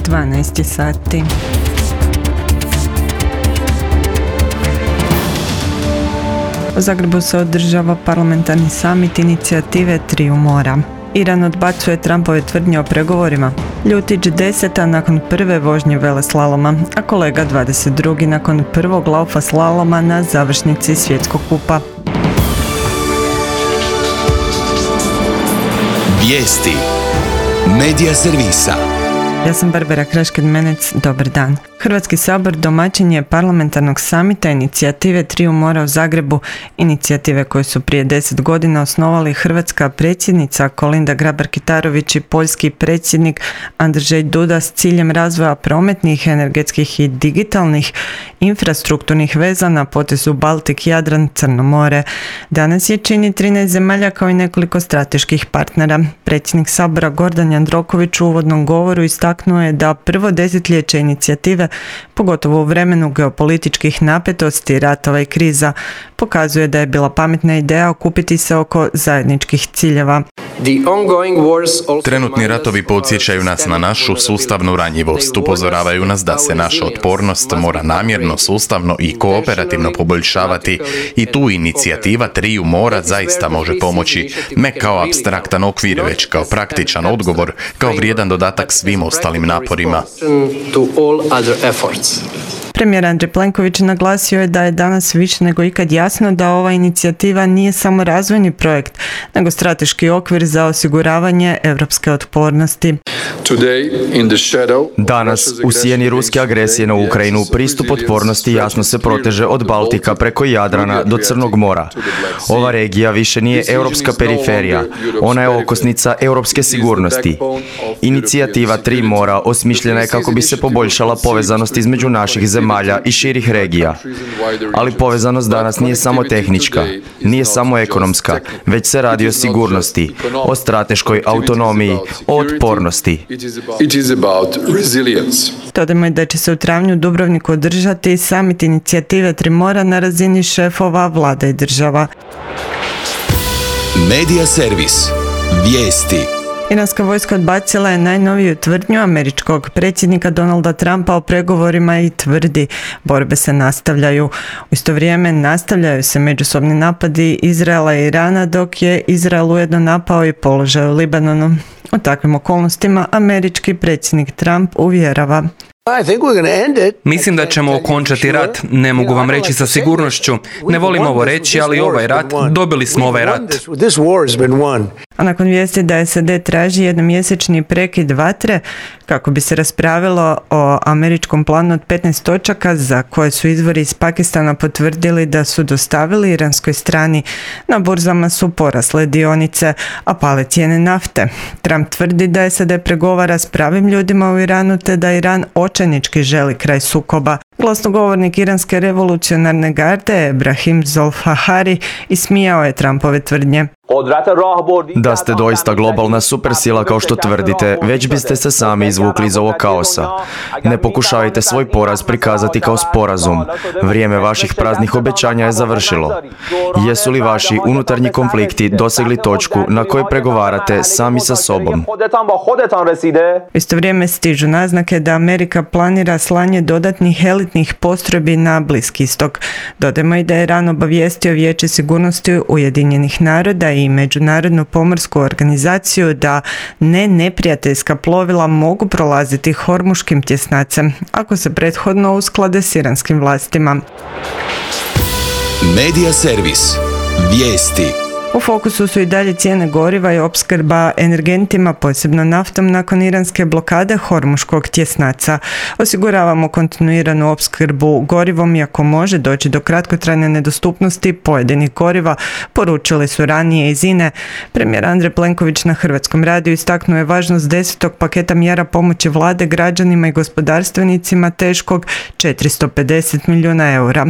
12 sati. U Zagrebu se održava parlamentarni samit inicijative Triju mora. Iran odbacuje Trumpove tvrdnje o pregovorima. Ljutić 10. nakon prve vožnje veleslaloma, a kolega 22. nakon prvog laufa slaloma na završnici svjetskog kupa. Vijesti Medija servisa. Ja sam Barbara Krašked-Menec, dobar dan. Hrvatski sabor domaćin je parlamentarnog samita inicijative Triju mora u Zagrebu, inicijative koje su prije 10 godina osnovali hrvatska predsjednica Kolinda Grabar-Kitarović i poljski predsjednik Andrzej Duda s ciljem razvoja prometnih, energetskih i digitalnih infrastrukturnih veza na potezu Baltik, Jadran, Crno more. Danas je čini 13 zemalja kao i nekoliko strateških partnera. Predsjednik sabora Gordan Jandroković u uvodnom govoru istaknuo je da prvo desetljeće inicijative, pogotovo u vremenu geopolitičkih napetosti, ratova i kriza, pokazuje da je bila pametna ideja okupiti se oko zajedničkih ciljeva. Trenutni ratovi podsjećaju nas na našu sustavnu ranjivost, upozoravaju nas da se naša otpornost mora namjerno, sustavno i kooperativno poboljšavati i tu inicijativa Triju mora zaista može pomoći, ne kao apstraktan okvir, već kao praktičan odgovor, kao vrijedan dodatak svim ostalim naporima. Premijer Andrej Plenković naglasio je da je danas više nego ikad jasno da ova inicijativa nije samo razvojni projekt, nego strateški okvir za osiguravanje europske otpornosti. Danas, u sjeni ruske agresije na Ukrajinu, pristup otpornosti jasno se proteže od Baltika preko Jadrana do Crnog mora. Ova regija više nije europska periferija, ona je okosnica europske sigurnosti. Inicijativa Tri mora osmišljena je kako bi se poboljšala povezanost između naših zemalja i širih regija. Ali povezanost danas nije samo tehnička, nije samo ekonomska, već se radi o sigurnosti, o strateškoj autonomiji, o otpornosti. Dodajmo i da će se u travnju u Dubrovniku održati samit inicijative Tri mora na razini šefova vlada i država. Medija servis. Vijesti. Iranska vojska odbacila je najnoviju tvrdnju američkog predsjednika Donalda Trumpa o pregovorima i tvrdi borbe se nastavljaju. U isto vrijeme nastavljaju se međusobni napadi Izraela i Irana, dok je Izrael ujedno napao i položaj u Libanonu. U takvim okolnostima američki predsjednik Trump uvjerava: Mislim da ćemo okončati rat. Ne mogu vam reći sa sigurnošću. Ne volim ovo reći, ali ovaj rat, dobili smo ovaj rat. A nakon vijesti da SAD traži jednomjesečni prekid vatre kako bi se raspravilo o američkom planu od 15 točaka za koje su izvori iz Pakistana potvrdili da su dostavili iranskoj strani, na burzama su porasle dionice, a pale cijene nafte. Trump tvrdi da SAD pregovara s pravim ljudima u Iranu te da Iran očajnički želi kraj sukoba. Glasnogovornik iranske revolucionarne garde Ebrahim Zolfahari ismijao je Trumpove tvrdnje. Da ste doista globalna supersila kao što tvrdite, već biste se sami izvukli iz ovog kaosa. Ne pokušavajte svoj poraz prikazati kao sporazum. Vrijeme vaših praznih obećanja je završilo. Jesu li vaši unutarnji konflikti dosegli točku na kojoj pregovarate sami sa sobom? U isto vrijeme stižu naznake da Amerika planira slanje dodatnih elitnih postrojbi na Bliski istok. Dodajmo i da je Iran obavijestio Vijeće sigurnosti Ujedinjenih naroda i Međunarodnu pomorsku organizaciju da neprijateljska plovila mogu prolaziti Hormuškim tjesnacem ako se prethodno usklade s iranskim vlastima. Medija servis. Vijesti. U fokusu su i dalje cijene goriva i opskrba energentima, posebno naftom, nakon iranske blokade Hormuškog tjesnaca. Osiguravamo kontinuiranu opskrbu gorivom, iako može doći do kratkotrajne nedostupnosti pojedinih goriva, poručili su ranije iz INE. Premijer Andrej Plenković na Hrvatskom radiju istaknuo je važnost 10. paketa mjera pomoći vlade građanima i gospodarstvenicima teškog 450 milijuna eura.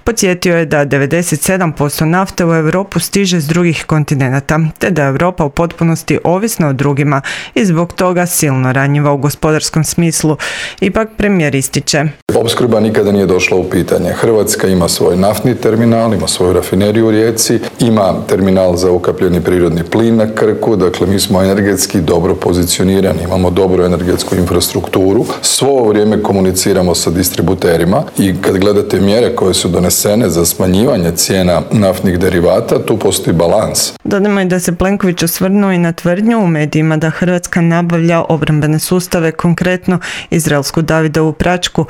Podsjetio je da 97% nafte u Europu stiže s drugih kontinenata, te da je Europa u potpunosti ovisna o drugima i zbog toga silno ranjiva u gospodarskom smislu. Ipak premijer ističe: opskrba nikada nije došla u pitanje. Hrvatska ima svoj naftni terminal, ima svoju rafineriju u Rijeci, ima terminal za ukapljeni prirodni plin na Krku, dakle mi smo energetski dobro pozicionirani, imamo dobru energetsku infrastrukturu, svo ovo vrijeme komuniciramo sa distributerima i kad gledate mjere koje su donesene za smanjivanje cijena naftnih derivata, tu postoji balans. Dodajmo i da se Plenković osvrnuo i na tvrdnju u medijima da Hrvatska nabavlja obrambene sustave, konkretno izraelsku Davidovu praćku.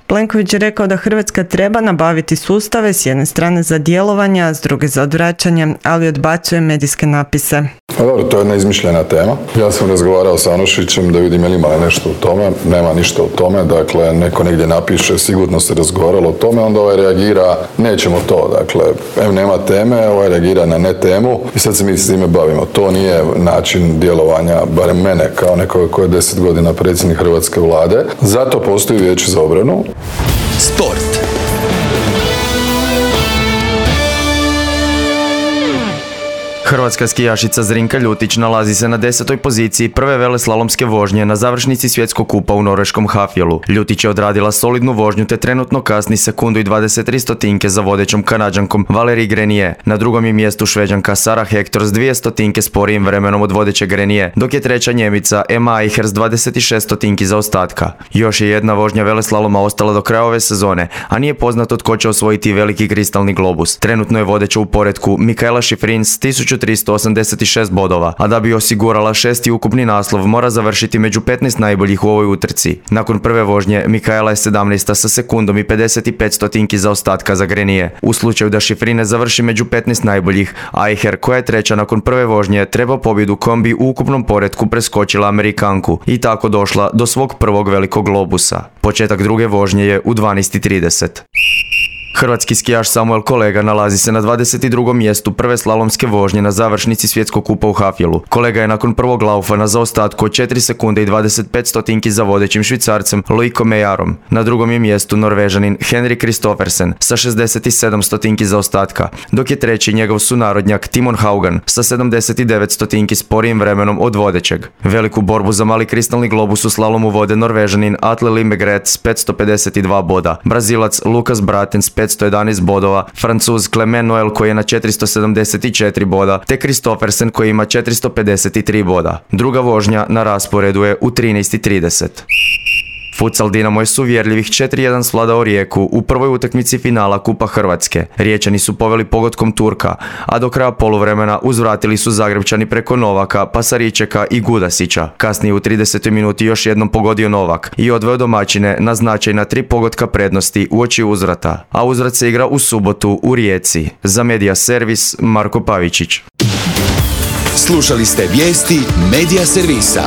Plenković je rekao da Hrvatska treba nabaviti sustave s jedne strane za djelovanje, a s druge za odvraćanje, ali odbacuje medijske napise. Dobro, to je jedna izmišljena tema. Ja sam razgovarao sa Anušićem da vidim je li ima nešto u tome. Nema ništa u tome. Dakle, neko negdje napiše, sigurno se razgovaralo o tome, onda ovaj reagira, nećemo to. Dakle, nema teme, ovaj reagira na ne temu i sad se mi s time bavimo. To nije način djelovanja, barem mene, kao nekoga koji je 10 godina predsjednik Hrvatske vlade. Zato postoji Vijeće za obranu. Sport. Hrvatska skijašica Zrinka Ljutić nalazi se na 10. poziciji prve veleslalomske vožnje na završnici svjetskog kupa u norveškom Hafjelu. Ljutić je odradila solidnu vožnju te trenutno kasni sekundu i 23 stotinke za vodećom Kanađankom Valérie Grenier. Na drugom je mjestu Šveđanka Sara Hector s 2 stotinke sporijim vremenom od vodeće Grenier, dok je treća Njemica Emma Eicher s 26 stotinki zaostatka. Još je jedna vožnja veleslaloma ostala do kraja ove sezone, a nije poznato tko će osvojiti veliki kristalni globus. Trenutno je vodeća u poretku Mikaela Shiffrin s 1386 bodova, a da bi osigurala 6. ukupni naslov mora završiti među 15 najboljih u ovoj utrci. Nakon prve vožnje Mikaela je 17. sa sekundom i 55 stotinki zaostatka za Grenier. U slučaju da Shiffrin ne završi među 15 najboljih, Eicher, koja je treća nakon prve vožnje, treba pobjedu kombi u ukupnom poretku preskočila Amerikanku i tako došla do svog prvog velikog globusa. Početak druge vožnje je u 12:30. Hrvatski skijaš Samuel Kolega nalazi se na 22. mjestu prve slalomske vožnje na završnici svjetskog kupa u Hafjelu. Kolega je nakon prvog laufa na zaostatku od 4 sekunde i 25 stotinki za vodećim Švicarcem Loico Meijarom. Na drugom je mjestu Norvežanin Henrik Kristoffersen sa 67 stotinki zaostatka, dok je treći njegov sunarodnjak Timon Haugan sa 79 stotinki sporijim vremenom od vodećeg. Veliku borbu za mali kristalni globus u slalomu vode Norvežanin Atle Lindegren s 552 boda, Brazilac Lukas Braten s 511 bodova, Francuz Clement Noel koji je na 474 boda, te Kristoffersen koji ima 453 boda. Druga vožnja na rasporedu je u 13:30. Futsal Dinamo je s uvjerljivih 4:1 svladao Rijeku u prvoj utakmici finala Kupa Hrvatske. Riječani su poveli pogodkom Turka, a do kraja poluvremena uzvratili su Zagrebčani preko Novaka, Pasaričeka i Gudasića. Kasnije u 30. minuti još jednom pogodio Novak i odveo domaćine na značajna 3 pogotka prednosti uoči uzvrata. A uzvrat se igra u subotu u Rijeci. Za Media Servis Marko Pavičić. Slušali ste vijesti Media Servisa.